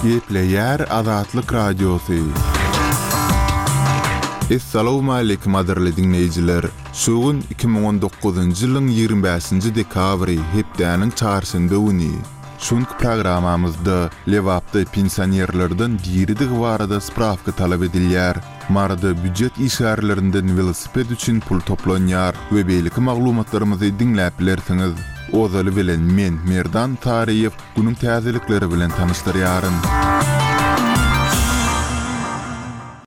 Gepleýär Azatlyk Radiosy. Essalawmaleýkim gadyrly diňleýjiler! Şu gün 2019-njy ýylyň 25-nji dekabry, hepdäniň çarşenbe güni. Şu günki programmamyzda Lebapda pensionerlerden diridigi barada sprawka talap edilýär. Maryda býujet işgärlerinden welosiped üçin pul toplanýar we beýleki maglumatlarymyzy diňläp bilersiňiz. Ozaly bilen men, Merdan Saryýew, günüň täzelikleri bilen tanyşdyrýaryn.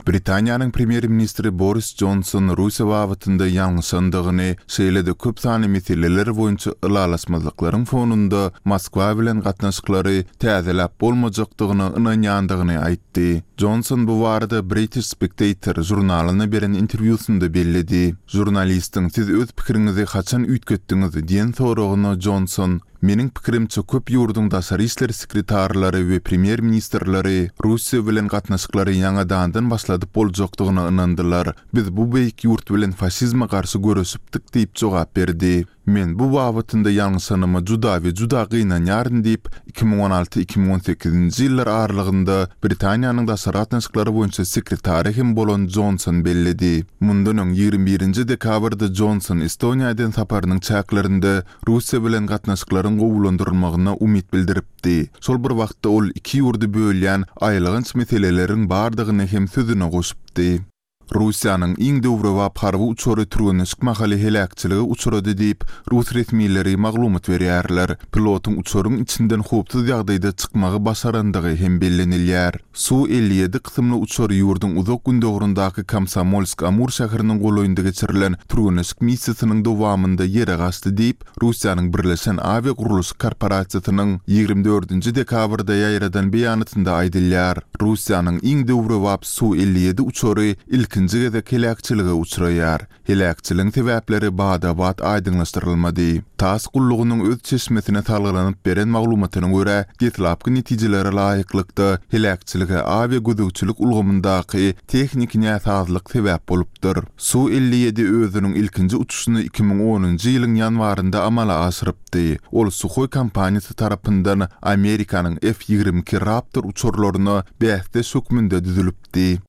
Britaniýanyň premýer-ministri Boris Jonson Russiýa babatynda ýalňyşandygyny, şeýle-de köp sanly meseleler boýunça ylalaşmazlyklaryň fonunda Moskwa bilen gatnaşyklary täzeläp bolmajakdygyna ynanýandygyny aýtdy. Jonson bu barada British Spectator žurnalyna beren interwýusynda belledi. Žurnalistiň Siz öz pikiriňizi haçan üýtgetdiňiz? diýen soragyna Jonson, Meniň pikirimçe, köp ýurduň daşary işler sekretarlary we premýer-ministrleri Russiýa bilen gatnaşyklary ýaňadandan başladyp boljakdygyna ynandylar. Biz bu beýik ýurt bilen faşizme garşy göreşipdik diýip jogap berdi. Men bu babatynda ýalňyşanyma juda we juda gynanýaryn diýip, 2016, 2018-nji ýyllar aralygynda Britaniýanyň daşary gatnaşyklary boýunça sekretary hem bolan Jonson belledi. Mundan öň, 21-nji dekabrda Jonson Estoniýa eden saparynyň çäklerinde Russiýa bilen gatnaşyklaryň gowulandyrylmagyna umyt bildiripdi. Şol bir wagtda ol iki ýurdy bölýän aýylganç meseleleriň bardygyny hem sözüne goşupdy. Russiýanyň iň döwrebap harby uçary türgenleşik mahaly heläkçilige uçrady diýip, rus resmileri maglumat berýärler. Pilotyň uçaryň içinden howpsuz ýagdaýda çykmagy başarandygy hem bellenilýär. Su 57 kysymly uçar ýurduň uzak gündogaryndaky Komsomolsk-Amur şäheriniň golaýynda geçirilen türgenleşik missiýasynyň dowamynda ýere gaçdy diýip, Russiýanyň Birleşen awiagurluşyk korporasiýasynyň 24-nji dekabrda ýaýradan beýanatynda aýdylýar. Russiýanyň iň döwrebap Su 57 uçary ilkinji gezek heläkçilige uçraýar. Heläkçiligiň sebäpleri bada-bat aýdyňlaşdyrylmady. Tass gullugynyň öz çeşmesine salgylanyp beren maglumatyna görä, deslapky netijelere laýyklykda, heläkçilige awiagözegçilik ulgamyndaky tehniki näsazlyk sebäp bolupdyr. Su 57 özüniň ilkinji uçuşyny 2010-njy ýylyň ýanwarynda amala aşyrypdy. Ol Suhoi kompaniýasy tarapyndan Amerikanyň F 22 Raptor uçarlaryna bäsdeş hökmünde düzülipdi.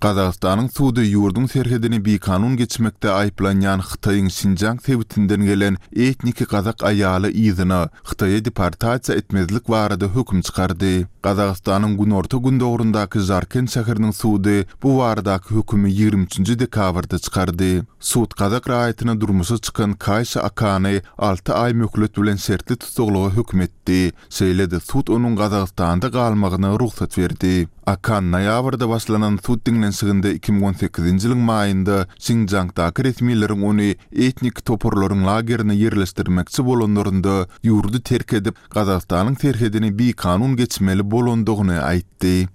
Gazagystanyň sudy ýurduň serhedini bikanun geçmekde aýyplanýan Hytaýyň Şinjiang sebitinden gelen etniki gazak aýaly yzyna, Hytaýa deportasiýa etmezlik barada höküm çykardy. Gazagystanyň günorta-gündogaryndaky Žarkent şäheriniň sudy bu baradaky hökümi 23 nji dekabrda çykardy. Sud gazak raýatyna durmuşa çykan Kaýşa Akany alty aý möhlet bilen şertli tussaglyga höküm etdi. Şeýle-de sud onuň Gazagystanda galmagyna rugsat berdi. Akan noýabrda başlanan sud diňlenişiginde 2018-nji ýylyň maýynda Şinjiangdaky resmileriň ony etniki toparlaryň lagerine ýerleşdirmekçi bolanlarynda ýurdy terk edip, Gazagystanyň serhedini bikanun geçmeli bolandygyny aýtdy.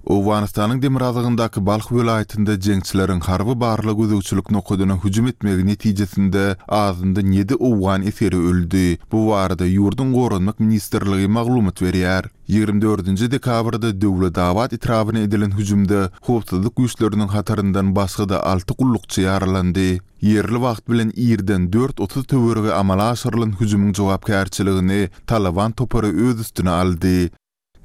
Owganystanyň demirgazygyndaky Balh welaýatynda jeňçileriň harby barlag-gözegçilik nokadyna hüjüm etmegi netijesinde azyndan ýedi owgan esgeri öldi. Bu barada ýurduň Goranmak ministrligi maglumat berýär. 24-nji dekabrda Döwletabat etrabyna edilen hüjümde howpsuzlyk güýçleriniň hataryndan başga-da alty gullukçy ýaralandy. Ýerli wagt bilen irden 4:30 töweregi amala aşyrylan hüjümiň jogapkärçiligini Talaban topary öz üstüne aldy.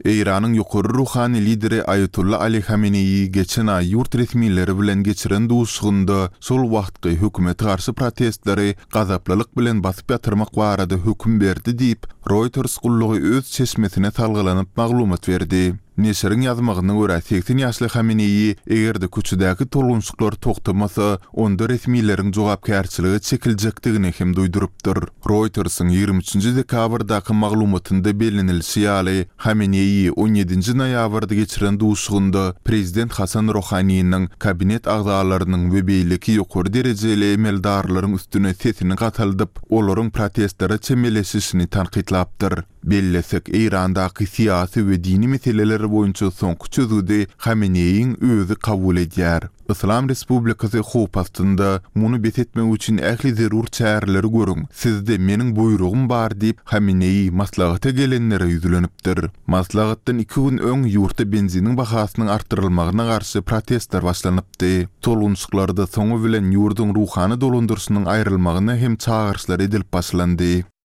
Eýranyň ýokary ruhany lideri Aýatolla Ali Hameneýi geçen aý ýurt resmileri bilen geçiren duşuşygynda şol wagtky hökümete garşy protestleri gazaplylyk bilen basyp ýatyrmak barada höküm berdi diýip, Reuters gullugy öz çeşmesine salgylanyp maglumat berdi. Neşiriň ýazmagyna görä, 80 ýaşly Hameneýi eger-de köçedäki tolgunşyklar togtamasa, onda resmileriň jogapkärçilige çekiljekdigini hem duýdurypdyr. Reuters-iň 23-nji dekabrdaky maglumatynda bellenilişi ýaly, Hameneýi on ýedinji noýabrda geçiren duşuşygynda prezident Hasan Rohaniniň, kabinet agzalarynyň we beýleki ýokary derejeli emeldarlaryň üstüne sesini gataldyp, olaryň protestlere çemeleşişini tankytlapdyr. Bellesek, Eýrandaky syýasy we dini meseleler boýunça soňky çözgüdi Hameneýiň özi kabul edýär. Yslam Respublikasy howp astynda, muny bes etmek üçin ähli zerur çäreleri görüň, sizde meniň buýrugym bar diýip, Hameneýi maslahata gelenlere ýüzlenipdir. Maslahatdan iki gün öň ýurtda benziniň bahasynyň artdyrylmagyna garşy protestler başlanypdy. Tolgunyşyklarda soňy bilen ýurduň ruhany dolandyryşynyň aýrylmagyna hem çagyryşlar edilip başlandy.